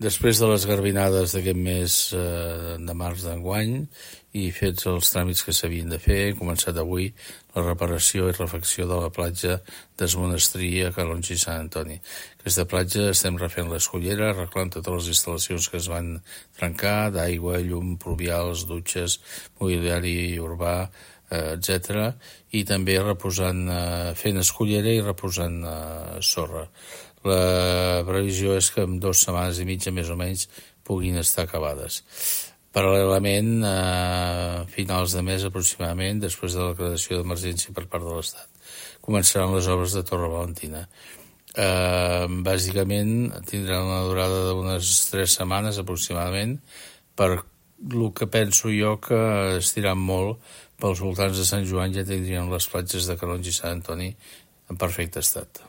Després de les garbinades d'aquest mes de març d'enguany i fets els tràmits que s'havien de fer, hem començat avui la reparació i refacció de la platja d'Es Monestir a Calonge i Sant Antoni. Aquesta platja estem refent l'escollera, arreglant totes les instal·lacions que es van trencar, d'aigua, llum, pluvials, dutxes, mobiliari urbà, etc. I també reposant, fent escollera i reposant sorra. La previsió és que en 2 setmanes i mitja més o menys puguin estar acabades. Paral·lelament, a finals de mes aproximadament, després de la declaració d'emergència per part de l'Estat, començaran les obres de Torre Valentina. Bàsicament tindran una durada d'unes 3 setmanes aproximadament, per el que penso jo que estiran molt pels voltants de Sant Joan ja tindrien les platges de Calonge i Sant Antoni en perfecte estat.